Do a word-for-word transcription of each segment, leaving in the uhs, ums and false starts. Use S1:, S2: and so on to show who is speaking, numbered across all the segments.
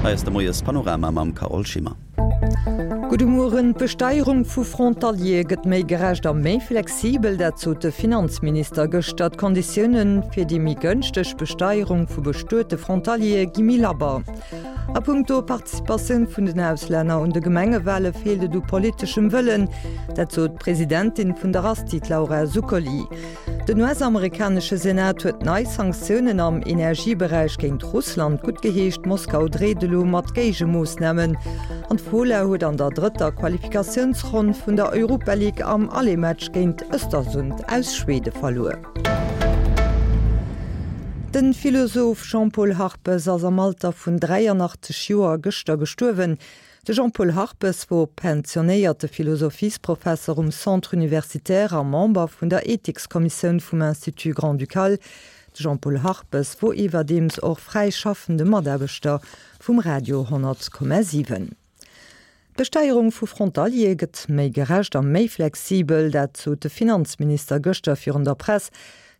S1: Hei ass de Moiespanorama mam Carole Schimmer.
S2: Gudde Mueren. D'Besteierung vu Frontaliere gëtt méi gerecht a méi flexibel, dat sot de Finanzminister gëschter. D'Konditioune fir déi méi gënschteg Besteierung vu bestuete Frontaliere gi méi labber. A punkto Participatioun vun den Auslänner un de Gemengewale feelt et u politeschem Wëllen, dat sot d'Presidentin vun der ASTI, d'Laura Zuccoli. Den US-amerikanesche Senat huet nei Sanktiounen am Energieberäich géint Russland guttgeheescht. Moskau dreet elo mat Géigemoossnamen. An d'Fola huet an der drëtter Qualifikatiounsronn vun der Europa League am Aller-Match géint Östersund aus Schwede verluer. De Philosoph Jean-Paul Harpes ass am Alter vun dräianachtzeg Joer gëschter gestuerwen. De Jean-Paul Harpes wor pensionéierte Philosophiesprofesser um Centre universitaire a Member vun der Ethikskommissioun vum Institut Grand-Ducal. De Jean-Paul Harpes wor iwwerdeems och fräischaffende Mataarbechter vum Radio honnert Komma siwen. D'Besteierung vu Frontaliere gëtt méi gerecht a méi flexibel, dat sot de Finanzminister gëschter virun der Press.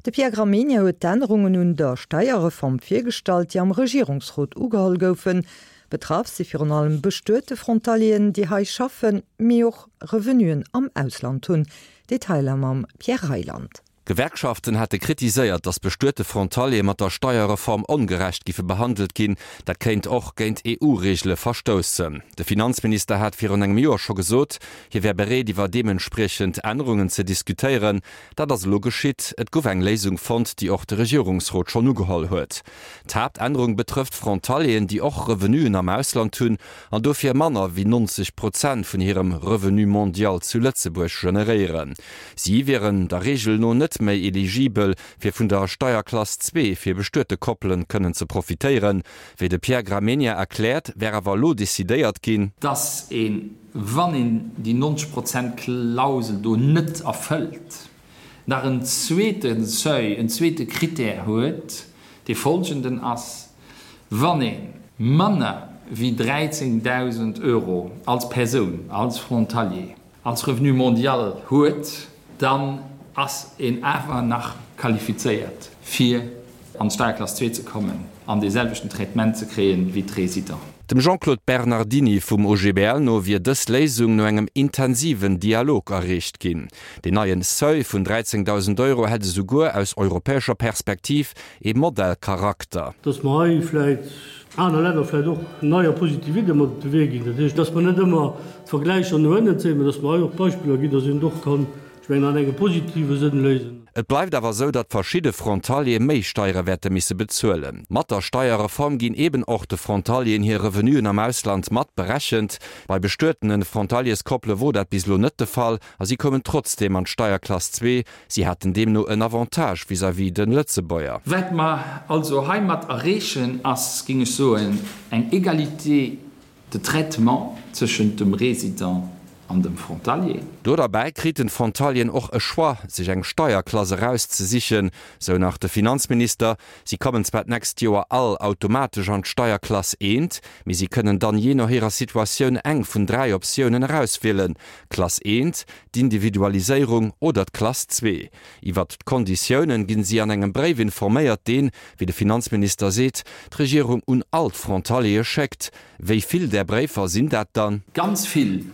S2: De Pierre Gramegna huet d'Ännerungen un der Steierreform virgestallt, déi am Regierungsrot ugeholl goufen. Betraff si virun allem bestuete Frontalieren, déi hei schaffen, mee och Revenuen am Ausland hunn. Detailer mam Pierre Reyland.
S3: D'Gewerkschaften hate kritiséiert, datt bestuete Frontaliere mat der Steierreform ongerecht giffe behandelt ginn. Dat kéint och géint E U-Reegele verstoussen. De Finanzminister hat virun engem Joer scho gesot, hie wär bereet iwwer deementspriechend Ännerungen ze diskutéieren. Dat ass elo geschitt. Et gouf eng Léisung fonnt, déi och de Regierungsrot schonn ugeholl huet. D'Haaptännerung betrëfft Frontalieren, déi och Revenuen am Ausland hunn an dofir manner wéi neunzeg Prozent vun hirem Revenu mondial zu Lëtzebuerg generéieren. Si wieren der Reegel no net méi eligibel, fir vun der Steierklass zwee fir bestuete Koppelen kënnen ze profitéieren. Wéi de Pierre Gramegna erkläert, wär awer elo decidéiert ginn,
S4: dass een, wann een déi neunzeg Prozent Klausel do net erfëllt, nach en zweete Seuil, en zweete Critère huet, dee folgenden ass, Wann ee manner wéi dräizéngdausend Euro als Persoun, als Frontalier, als Revenu mondial huet, dann ass een awer nach qualifizéiert, fir an d'Steierklass zwee ze kommen an dee selwechten Traitement ze kréien wéi d'Résidenten.
S3: Dem Jean-Claude Bernardini vum O G B L no wier dës Léisung no engem intensiven Dialog erreecht ginn. Deen neien Seuil vun dräizéngdausend Euro hätt esouguer aus europäescher Perspektiv ee Modellcharakter.
S5: Dass mer hei vläicht aner Länner vläicht och nei a positiv Iddie mat op de Wee ginn. Dat heescht, dass mer net ëmmer d'Vergläicher no ënnen zéien, mä dass mer hei och Beispiller ginn, dass een et och kann, ech mengen, an engem positive Sënn léisen.
S3: Et bleift awer esou, datt verschidde Frontaliere méi Steiere wäerte misse bezuelen. Mat der Steierreform ginn eben och de Frontalieren hir Revenuen am Ausland mat berechent. Bei bestuetene Frontalierskoppele wor dat bis elo net de Fall a si koumen trotzdeem an d'Steierklass zwee. Si haten deemno en Avantage vis-à-vis de Lëtzebuerger.
S4: Wat mer also heimat erreechen, ass, géing ech soen, eng Égalité de traitement tëschent dem Résident an dem Frontalier.
S3: Do derbäi kriten d'Frontalieren och e Choix, sech eng Steierklass erauszesichen, sou nach de Finanzminister. Si kommen zwar d'nächst Joer all automatesch an d'Steierklass eent, mee si kënnen dann jee no hirer Situatioun eng vun dräi Optiounen erauswielen, Klass eent, d'Individualiséierung oder d'Klass zwee. Iwwert d'Konditiounen ginn si an engem Bréif informéiert, deen, wéi de Finanzminister seet, d'Regierung un all d'Frontaliere schéckt. Wéi vill där Bréifer sinn dat dann?
S4: Ganz vill.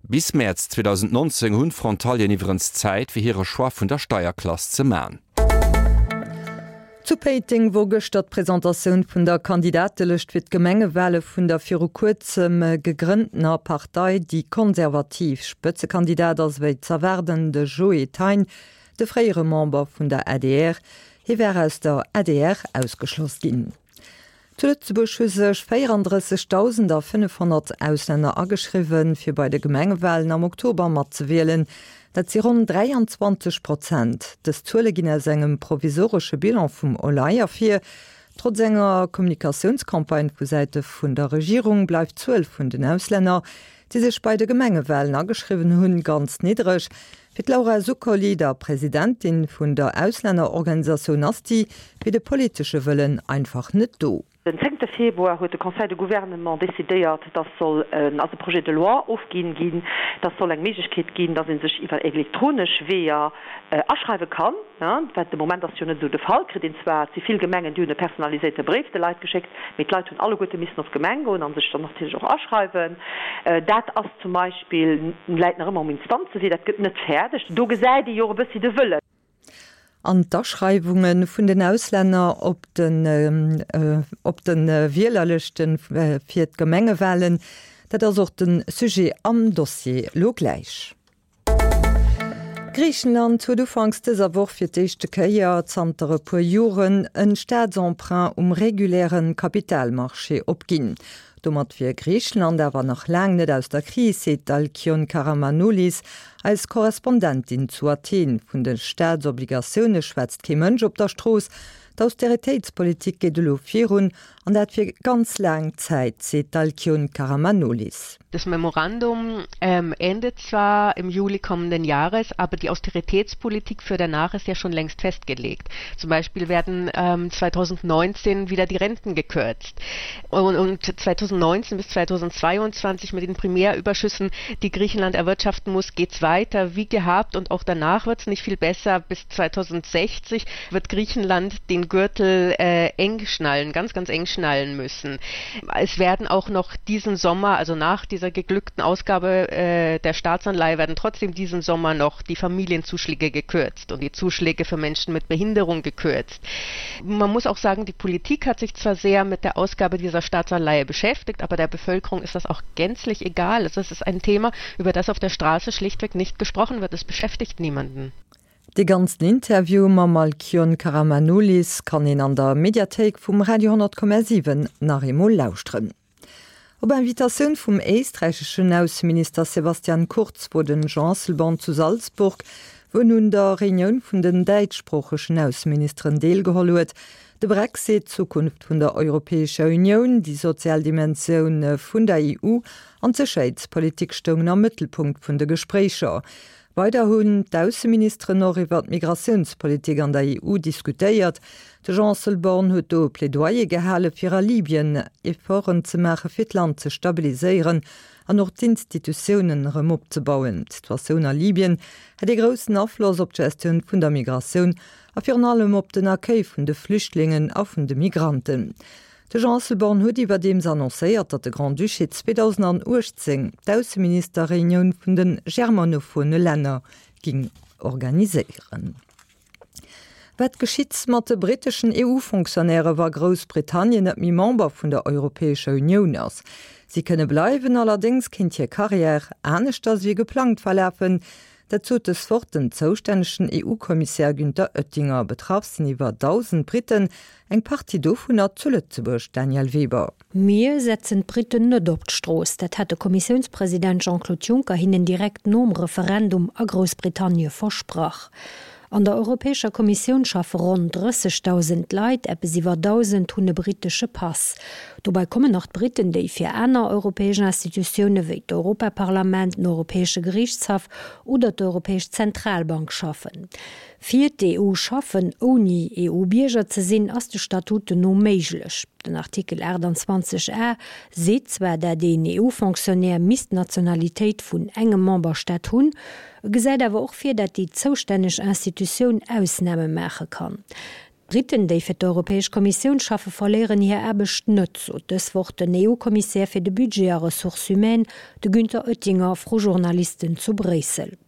S3: Bis Mäerz zweedausendnonzéng hunn d'Frontalieren iwwerens Zäit, fir hire Choix vun der Steierklass ze man.
S2: Zu Péiteng wor gëschter d'Presentatioun vun der Kandidatelëscht fir d'Gemengewale vun der viru kuerzem gegrënntener Partei Déi Konservativ. Spëtzekandidat ass wéi z'erwaarden de Joe Thein, de fréiere Member vun der A D R. Hie wär aus der A D R ausgeschloss ginn. Zu Lëtzebuerg hu sech véierandrëssegdausendafënnefhonnert Auslänner ageschriwwen, fir bei de Gemengewalen am Oktober matzewielen. Dat si ronn dräianzwanzeg Prozent. Dës Zuele ginn aus engem provisoresche Bilan vum OLAI ervir. Trotz enger Kommunikatiounscampagne vu Säite vun der Regierung bleift d'Zuel vun den Auslänner, déi sech bei de Gemengewalen ageschriwwen hunn, ganz niddreg. Fir d'Laura Zuccoli, der Presidentin vun der Auslännerorganisatioun ASTI, wier de politesche Wëllen einfach net do.
S6: Den zéngte Februar huet de Conseil de Gouvernement decidéiert, dass soll ass e Projet de loi ofginn ginn, dass soll eng Méiglechkeet ginn, dass ee sech iwwer elektronesch Weeër aschreiwe kann, wat de Moment ass jo net esou de Fall. Kritt een zwar, et si vill Gemengen, déi hunn e personaliséierte Bréif de Leit geschéckt, mee d'Leit hunn alleguerte missen op d'Gemeng goen a sech dann natierlech och aschreiwen. Dat ass zum Beispill, läit nach ëmmer um Instanzewee, dat gëtt net fäerdeg. Do gesäit ee jo och e bëssi de Wëllen.
S2: An d'Aschreiwunge vun den Auslänner op den op de Wielerlëschte fir d'Gemengewalen, dat ass och de Sujet am Dossier lo gläich. Griichenland huet ufanks dëser Woch fir d'éischte Kéier zanter e puer Joren en Staatsemprunt um reguläre Kapitalmarché opginn. Domat wier Griichenland awer nach laang net aus der Kris, seet d'Alkyone Karamanolis, eis Korrespondentin zu Athen. Vun de Staatsobligatioune schwätzt kee Mënsch op der Strooss. D'Austeritéitspolitik geet elo virun, an dat fir ganz laang Zäit, seet d'Alkyone Karamanolis.
S7: Das Memorandum ähm, endet zwar im Juli kommenden Jahres, aber die Austeritätspolitik für danach ist ja schon längst festgelegt. Zum Beispiel werden ähm, zweitausendneunzehn wieder die Renten gekürzt. Und, und zweitausendneunzehn bis zweitausendzweiundzwanzig mit den Primärüberschüssen, die Griechenland erwirtschaften muss, geht's weiter wie gehabt und auch danach wird's nicht viel besser. Bis zweitausendsechzig wird Griechenland den Gürtel äh, eng schnallen, ganz, ganz eng schnallen müssen. Es werden auch noch diesen Sommer, also nach dieser geglückten Ausgabe äh, der Staatsanleihe, werden trotzdem diesen Sommer noch die Familienzuschläge gekürzt und die Zuschläge für Menschen mit Behinderung gekürzt. Man muss auch sagen, die Politik hat sich zwar sehr mit der Ausgabe dieser Staatsanleihe beschäftigt, aber der Bevölkerung ist das auch gänzlich egal. Also es ist ein Thema, über das auf der Straße schlichtweg nicht gesprochen wird. Es beschäftigt niemanden.
S2: Dee ganzen Interview mam Alkyone Karamanoulis kann een an der Mediathéik vum Radio honnert Komma siwen nach eemol lauschteren. Op Invitatioun vum éisträicheschen Ausseminister Sebastian Kurz wor den Jean Asselborn zu Salzburg, wou en un der Reunioun vun den däitschsproochegen Ausseministeren deelgeholl huet. De Brexit, d'Zukunft vun der Europäescher Unioun, déi sozial Dimensioun vun der E U an d'Sécherheetspolitik stoungen am Mëttelpunkt vun de Gespréicher. Weider hunn d'Ausseministeren och iwwer d'Migratiounspolitik an der E U diskutéiert. De Jean Asselborn huet do e Plädoyer gehale fir a Libyen Efforten ze maache fir d'Land ze stabiliséieren an och d'Institutiounen erëm opzebauen. D'Situatioun a Libyen hätt ee groussen Afloss op d'Gestioun vun der Migratioun a virun allem op den Accueil vun de Flüchtlingen a vun de Migranten. De Jean Asselborn huet iwwerdeems annoncéiert, datt de Grand-Duché zweedausendanachtzéng d'Ausseministerreunioun vun de germanophone Länner géing organiséieren. Wat geschitt mat de britteschen E U-Fonctionnairë wa Groussbritannien net méi Member vun der Europäescher Unioun ass? Si kënne bleiwen, allerdéngs kéint hir Karriär aneschters wéi geplangt verlafen. Dat sot dës Woch den zoustännegen E U-Kommissär Günther Oettinger. Betraff sinn iwwer dausend Britten, eng Partie dovunner zu Lëtzebuerg. Danièle Weber.
S8: Mir setzen d'Britten net op d'Strooss, dat hat de Kommissiounspresident Jean-Claude Juncker hinnen direkt nom Referendum a Groussbritannie versprach. An der Europäescher Kommissioun schaffe ronn drëssegdausend Leit, eppes iwwer dausend hunn e brittesche Pass. Dobäi kommen nach d'Britten, déi fir aner europäesch Institutioune wéi d'Europaparlament, den Europäesche Geriichtshaff oder d'Europäesch Zentralbank schaffen. Fir d'E U schaffen, ouni E U-Bierger ze sinn, ass de Statuten no méiglech. Den Artikel aachtanzwanzeg a seet zwar, dat een E U-Fonctionnaire misst d'Nationalitéit vun engem Memberstaat hunn, e gesäit awer och vir, dat déi zoustänneg Institutioun Ausname maache kann. D'Britten, déi fir d'Europäesch Kommissioun schaffe, verléieren hir Aarbecht net, sot dës Woch den E U-Kommissär fir de Budget a Ressources humaines, de Günther Oettinger, vru Journalisten zu Bréissel.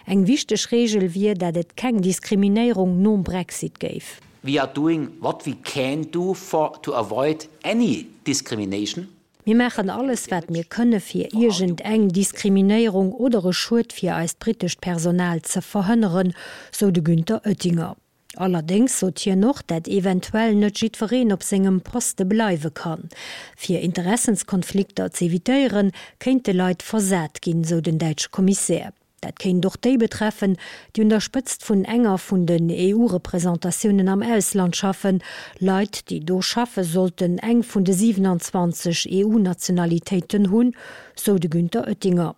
S8: Eng wichteg Reegel wier, dat et keng Diskriminéierung nom Brexit géif.
S9: We are doing what we can do for to avoid any discrimination.
S8: Mir maachen alles, wat mir kënne fir iergend eng Diskriminéierung oder e Schued fir eist brittescht Personal ze verhënneren, sou de Günther Oettinger. Allerdéngs sot hien och, dat eventuell net jiddwereen op sengem Poste bleiwe kann. Fir Interessenskonflikter z'evitéieren, kéinte Leit versat ginn, sou den däitsche Kommissär. Dat kéint och déi betreffen, déi un der Spëtzt vun enger vun den E U-Representatiounen am Ausland schaffen. Leit, déi do schaffe sollten eng vun de siewenanzwanzeg E U-Nationalitéiten hunn, sou de Günther Oettinger.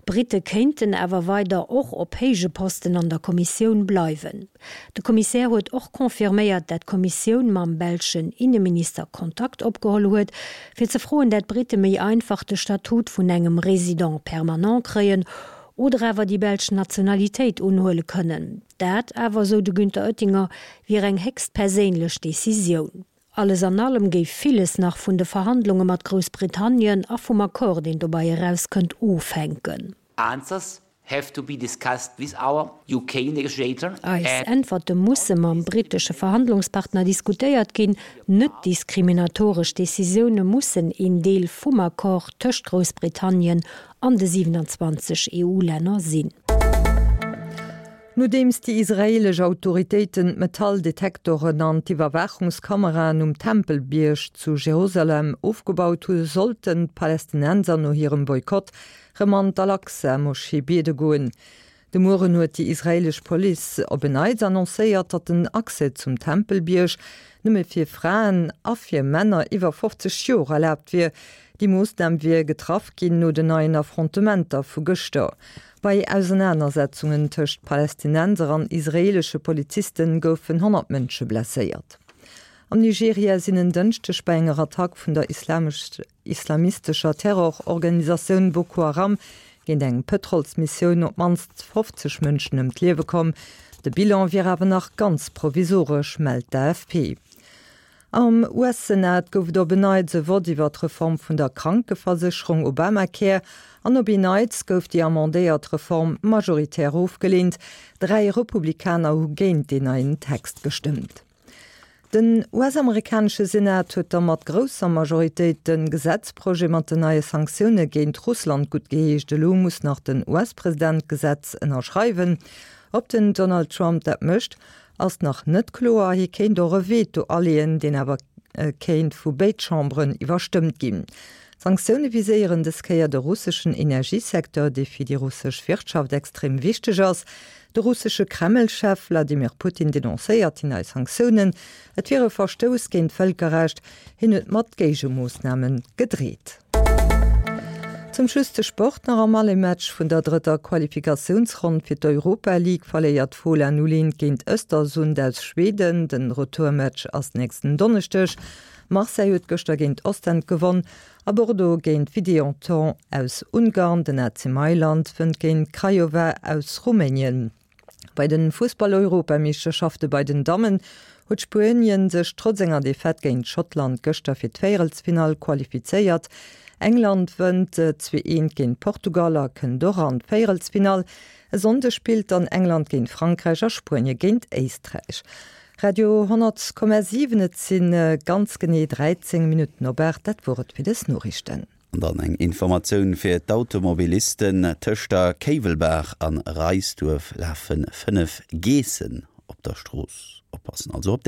S8: D'Britte kéinten awer weider och op héije Posten an der Kommissioun bleiwen. De Kommissär huet och confirméiert, dat d'Kommissioun mam belschen Inneminister Kontakt opgeholl huet, fir ze froen, dat d'Britte méi einfach de Statut vun engem Résident permanent kréien oder awer déi belsch Nationalitéit unhuele kënnen. Dat awer, sou de Günther Oettinger, wier eng héchst perséinlech Decisioun. Alles an allem géif villes nach vun de Verhandlunge mat Groussbritannien a vum Accord, deen dobäi erauskënnt, ofhänken.
S9: Answers have to be discussed with our UK negotiator
S8: Eis
S9: and.
S8: Äntwerte musse mam brittesche Verhandlungspartner diskutéiert ginn. Net-diskriminatoresch Decisioune mussen een Deel vum Accord tëscht Groussbritannien an de siewenanzwanzeg EU-Länner sinn.
S2: Nodeems déi israeelesch Autoritéiten d'Metalldetektoren an d'Iwwerwaachungskameraen um Tempelbierg zu Jerusalem ofgebaut hu, sollten d'Palästinenser no hirem Boykott rëm an d'Al-Aqsa-Moschee biede goen. De Mueren huet déi israeelesch Police op en Neits annoncéiert, datt den Accès zum Tempelbierg nëmme fir Fraen a fir Männer iwwer fofzeg Joer erlaabt wier. Déi Moossnam wier getraff ginn no den neien Affrontementer vu gëschter. Bei Ausenanersetzungen tëscht Palästinenser an israeelesche Poliziste goufen honnert Mënsche blesséiert. Am Nigeria sinn en Dënschdeg bei enger Attack vun der islamistescher Terrororganisatioun Boko Haram géint eng Pëtrolsmissioun op d'mannst fofzeg Mënschen ëm d'Liewe komm. De Bilan wier awer nach ganz provisoresch, mellt d'AFP. Am U S-Senat gouf et op en Neits e Vott iwwer d'Reform vun der Krankeversécherung Obamacare an op en Neits gouf déi amendéiert Reform majoritär ofgeleent. Dräi Republikaner hu géint deen neien Text gestëmmt. Den U S-amerikanesche Senat huet da mat grousser Majoritéit de Gesetzprojet mat den neie Sanktioune géint Russland guttgeheescht. Elo muss nach den U S-President d'Gesetz ënnerschreiwen. Ob den Donald Trump dat mécht, ass nach net kloer. Hie kéint och e Veto aleeën, deen awer kéint vu béid Chamberen iwwerstëmmt ginn. D'Sanktioune viséieren dës Kéier de russeschen Energiesecteur, dee fir déi russesch Wirtschaft extrem wichteg ass. De russesche Kreml-Chef Wladimir Putin denoncéiert déi nei Sanktiounen. Et wier e Verstouss géint d'Vëlkerrecht. Hien huet mat Géigemoossname gedreet. Zum Schluss de Sport nach, Am Aller-Match vun der drëtter Qualifikatiounsronn fir d'Europa League verléiert Fola null eent géint Östersund aus Schweden. Den Retourmatch ass nächsten Donneschdeg. Marseille huet gëschter géint Ostend gewonn a Bordeaux géint Videoton aus Ungarn. Den A C Mailand wënnt géint Craiova aus Rumänien. Bei den Fussball-Europameeschterschafte bei den Dammen huet Spuenien sech trotz enger Defaite géint Schottland gëschter fir d'Véierelsfinall qualifizéiert. England wënnt zwee eent géint Portugal a kënnt och an d'Véierelsfinall. E Sonndeg spillt dann England géint Frankräich a Spuenie géint Éisträich. Radio honnert Komma siwen Et si ganz genee dräizéng Minutten op aacht. Dat wor et fir dës Noriichten.
S1: An dann eng Informatioun fir d'Automobilisten, Tëscht der Kéiwelbaach an Reisduerf lafe fënnef Geessen op der Strooss. Oppassen also op déi!